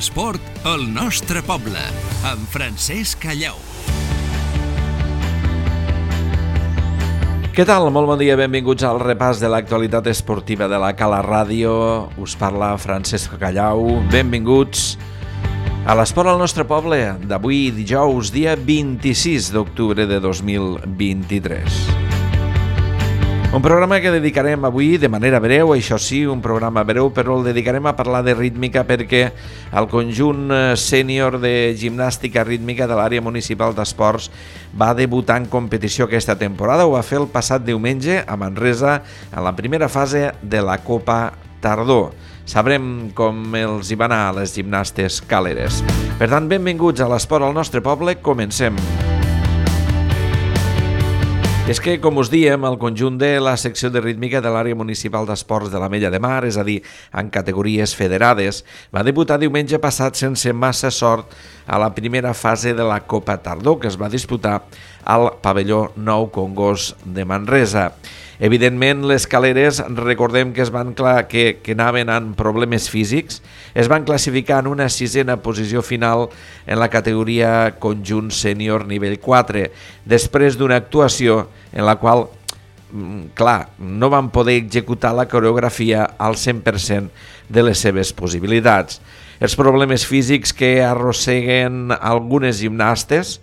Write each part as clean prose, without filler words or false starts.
L'esport al nostre poble, amb Francesc Callau. Què tal? Molt bon dia, benvinguts al repàs de l'actualitat esportiva de la Cala Ràdio. Us parla Francesc Callau. Benvinguts a l'esport al nostre poble d'avui dijous, dia 26 d'octubre de 2023. Un programa que dedicarem avui de manera breu, això sí, un programa breu, però el dedicarem a parlar de rítmica perquè el conjunt sènior de gimnàstica rítmica de l'àrea municipal d'esports va debutar en competició aquesta temporada. Ho va fer el passat diumenge a Manresa en la primera fase de la Copa Tardor. Sabrem com els hi va anar a les gimnastes caleres. Per tant, benvinguts a l'esport al nostre poble. Comencem. És que, com us diem, el conjunt de la secció de rítmica de l'àrea municipal d'esports de l'Ametlla de Mar, és a dir, en categories federades, va debutar diumenge passat sense massa sort a la primera fase de la Copa Tardor, que es va disputar al pavelló Nou Congost de Manresa. Evidentment, les caleres, recordem que que anaven amb problemes físics, es van classificar en una sisena posició final en la categoria conjunt sènior nivell 4, després d'una actuació en la qual, clar, no van poder executar la coreografia al 100% de les seves possibilitats. Els problemes físics que arrosseguen algunes gimnastes,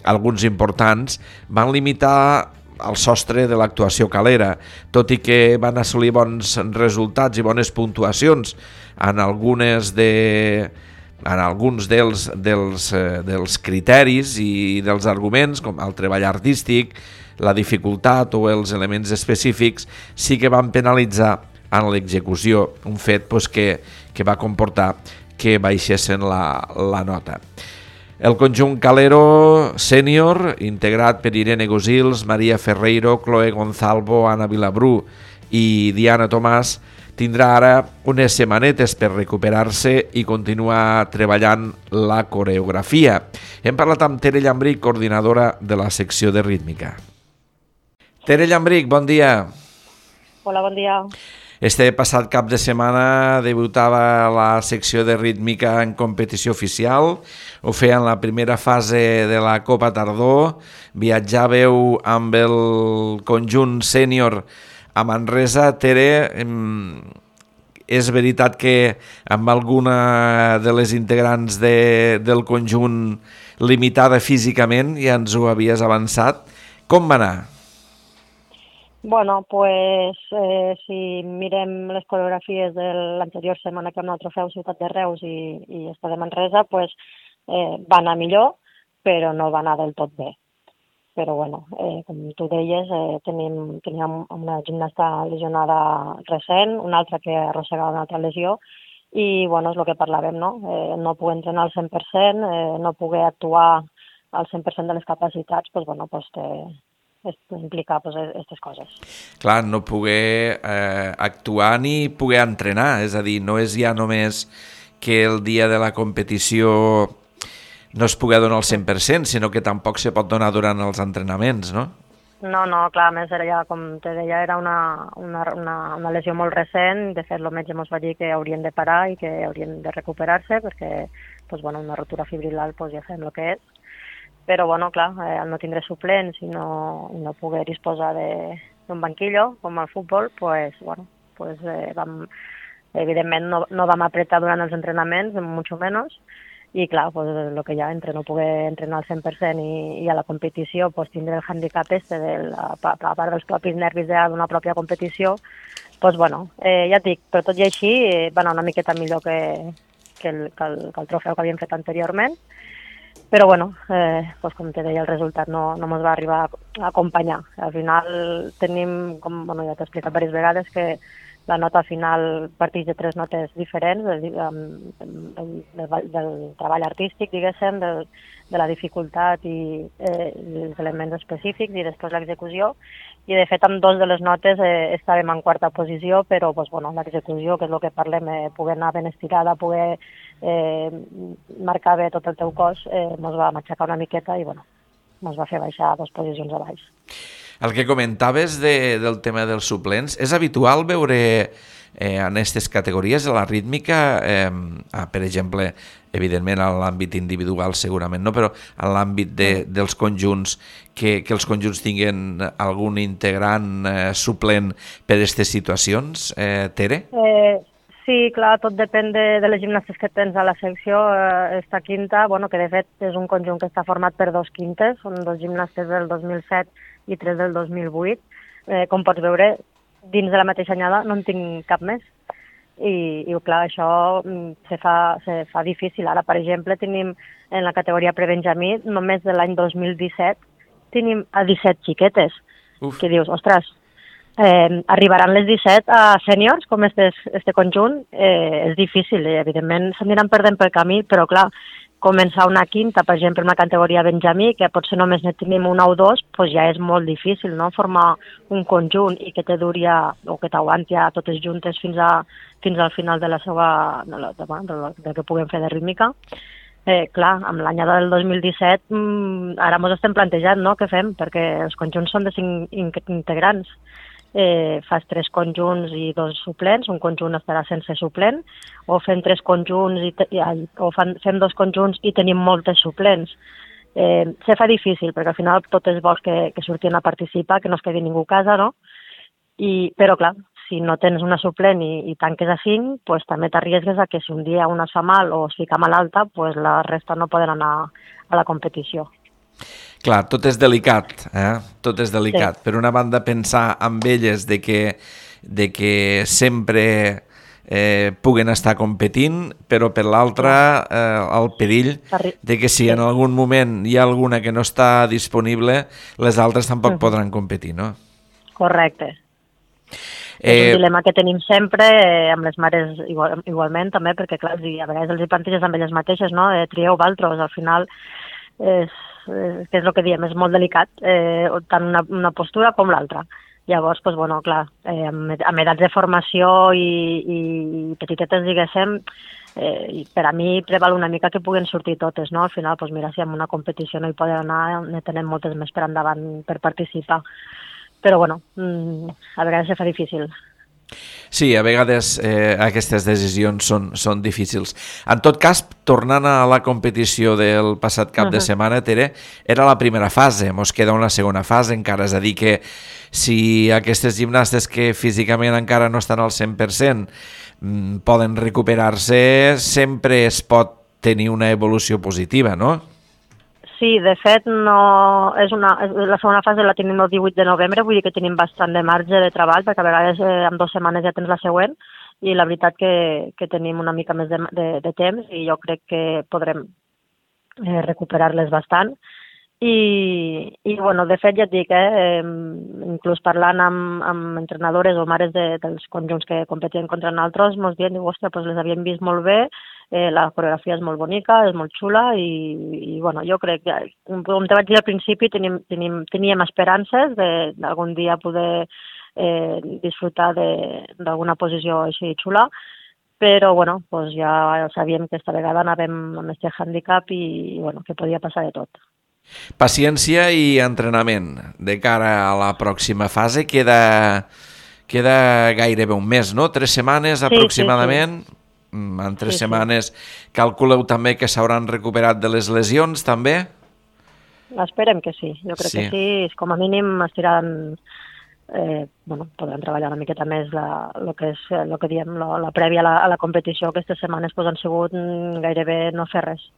alguns importants, van limitar el sostre de l'actuació calera, tot i que van assolir bons resultats i bones puntuacions en alguns dels criteris i dels arguments, com el treball artístic, la dificultat o els elements específics, sí que van penalitzar en l'execució, un fet que va comportar que baixessin la nota. El conjunt calero sènior, integrat per Irene Gosils, Maria Ferreiro, Chloe Gonzalvo, Anna Vilabrú i Diana Tomàs, tindrà ara unes setmanetes per recuperar-se i continuar treballant la coreografia. Hem parlat amb Tere Llambric, coordinadora de la secció de rítmica. Tere Llambric, bon dia. Hola, bon dia. Este passat cap de setmana debutava la secció de rítmica en competició oficial. Ho feia en la primera fase de la Copa Tardor. Viatjàveu amb el conjunt sènior a Manresa. Tere, és veritat que amb alguna de les integrants del conjunt limitada físicament ja ens ho havies avançat. Com va anar? Bueno, pues si mirem les coreografies de l'anterior setmana que vam anar al Trofeu Ciutat de Reus i esta de Manresa, pues va anar millor, però no va anar del tot bé. Però bueno, com tu deies, teníem una gimnasta lesionada recent, una altra que arrossegava una altra lesió, i bueno, és el que parlàvem, no? No poder entrenar al 100%, no poder actuar al 100% de les capacitats, pues bueno, pues implica aquestes coses. Clar, no poder actuar ni poder entrenar, és a dir, no és ja només que el dia de la competició no es pugui donar al 100%, sinó que tampoc se pot donar durant els entrenaments, no? No, clar, a més, com te deia, era una lesió molt recent. De fet, el metge ens va dir que haurien de parar i que haurien de recuperar-se perquè una rotura fibrilar ja sabem el que és. Però, clar, al no tindre suplents i no poder disposar d'un banquillo, com al futbol, evidentment no vam apretar durant els entrenaments, mucho menos, i clar, el que hi ha entre no poder entrenar al 100% i a la competició tindre el handicap a part dels propis nervis d'una pròpia competició, ja et dic, però tot i així va anar una miqueta millor que el trofeu que havíem fet anteriorment. Però, com te deia, el resultat no ens va arribar a acompanyar. Al final tenim, ja t'he explicat diverses vegades, que la nota final parteix de 3 notes diferents, del treball artístic, diguéssim, de la dificultat i els elements específics i després l'execució. I, de fet, amb 2 de les notes estàvem en quarta posició, però l'execució, que és el que parlem, poder anar ben estirada, poder marcar bé tot el teu cos, ens va matxacar una miqueta i ens va fer baixar 2 posicions a baix. El que comentaves del tema dels suplents, és habitual veure en aquestes categories, la rítmica, per exemple, evidentment en l'àmbit individual segurament no, però en l'àmbit dels conjunts, que els conjunts tinguin algun integrant suplent per a aquestes situacions, Tere? Sí, clar, tot depèn de les gimnastes que tens a la secció. Esta quinta, que de fet és un conjunt que està format per 2 quintes, són 2 gimnastes del 2007 i 3 del 2008. Com pots veure, dins de la mateixa anyada no en tinc cap més. I clar, això se fa difícil. Ara, per exemple, tenim en la categoria prebenjamí, només de l'any 2017, tenim a 17 xiquetes. Uf. Que dius, ostres, arribaran les 17 a sèniors, com este conjunt, és difícil, evidentment s'aniran perdent pel camí, però clar, començar una quinta, per exemple, en la categoria benjamí, que potser només ne tenim una o dos, doncs ja és molt difícil, no?, formar un conjunt i que te duri o que t'aguanti a totes juntes fins al final de la seva, del que puguem fer de rítmica. Clar, amb l'anyada del 2017 ara ens estem plantejant, no?, què fem, perquè els conjunts són de 5 integrants. Fas 3 conjunts i 2 suplents, un conjunt estarà sense suplent, o fem 3 conjunts fem 2 conjunts i tenim moltes suplents. Se fa difícil, perquè al final totes vols que surtin a participar, que no es quedi ningú a casa, no? Però clar, si no tens una suplent i tanques a 5, pues també t'arriesgues a que si un dia una es fa mal o es fica malalta, pues la resta no poden anar a la competició. Clar, tot és delicat, tot és delicat. Sí. Per una banda, pensar amb elles de que sempre puguen estar competint, però per l'altra, el perill de que si en algun moment hi ha alguna que no està disponible, les altres tampoc podran competir, no? Correcte. És un dilema que tenim sempre, amb les mares igualment també, perquè clar, a vegades els planteges amb elles mateixes, no? Trieu vosaltres, al final que és el que diem, és molt delicat, tant una postura com l'altra. Llavors, doncs, clar, amb edats de formació i petitetes, diguéssim, per a mi preval una mica que puguen sortir totes, no? Al final, doncs mira, si en una competició no hi poden anar, ne tenen moltes més per endavant per participar. Però, a vegades se fa difícil. Sí, a vegades aquestes decisions són difícils. En tot cas, tornant a la competició del passat cap de setmana, Tere, era la primera fase, mos queda una segona fase encara, és a dir que si aquestes gimnastes que físicament encara no estan al 100% poden recuperar-se, sempre es pot tenir una evolució positiva, no? Sí, de fet, la segona fase la tenim el 18 de novembre, vull dir que tenim bastant de marge de treball, perquè a vegades en 2 setmanes ja tens la següent, i la veritat que tenim una mica més de temps i jo crec que podrem recuperar-les bastant. I de fet, ja et dic, inclús parlant amb entrenadores o mares dels conjunts que competien contra nosaltres, ens diuen, ostres, doncs les havíem vist molt bé, la coreografia és molt bonica, és molt xula i jo crec que, com te vaig dir al principi, teníem esperances d'algun dia poder disfrutar d'alguna posició així xula, però doncs ja sabíem que esta vegada anàvem amb aquest hàndicap i que podia passar de tot. Paciència i entrenament. De cara a la pròxima fase queda gairebé un mes, no? 3 setmanes aproximadament. Sí. En 3 setmanes calculeu també que s'hauran recuperat de les lesions, també? Esperem que sí. Jo crec que sí. Com a mínim estiran... podran treballar una miqueta més el que diem, la prèvia a la competició. Aquestes setmanes han sigut gairebé no fer res.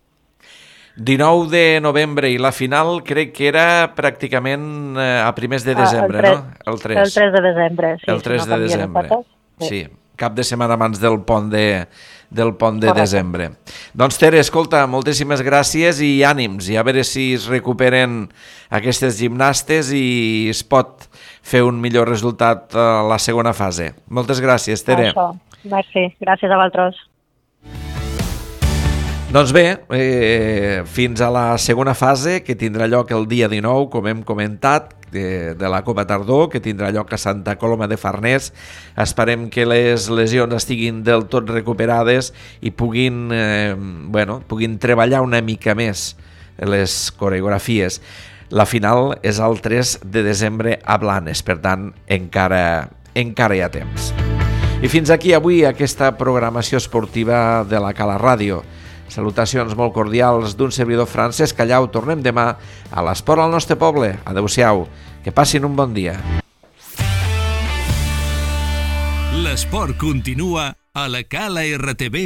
19 de novembre i la final crec que era pràcticament a primers de desembre, no? El 3. El 3 de desembre, sí. El 3 de desembre, sí. Cap de setmana abans del pont de desembre. Doncs Tere, escolta, moltíssimes gràcies i ànims, i a veure si es recuperen aquestes gimnastes i es pot fer un millor resultat a la segona fase. Moltes gràcies, Tere. Això, merci. Gràcies a vosaltres. Doncs bé, fins a la segona fase, que tindrà lloc el dia 19, com hem comentat, de la Copa Tardor, que tindrà lloc a Santa Coloma de Farners. Esperem que les lesions estiguin del tot recuperades i puguin treballar una mica més les coreografies. La final és el 3 de desembre a Blanes, per tant, encara hi ha temps. I fins aquí avui aquesta programació esportiva de la Cala Ràdio. Salutacions molt cordials d'un servidor Francesc Callau. Tornem demà a l'Esport al nostre poble. Adéu-siau. Que passin un bon dia. L'esport continua a la calartv.cat.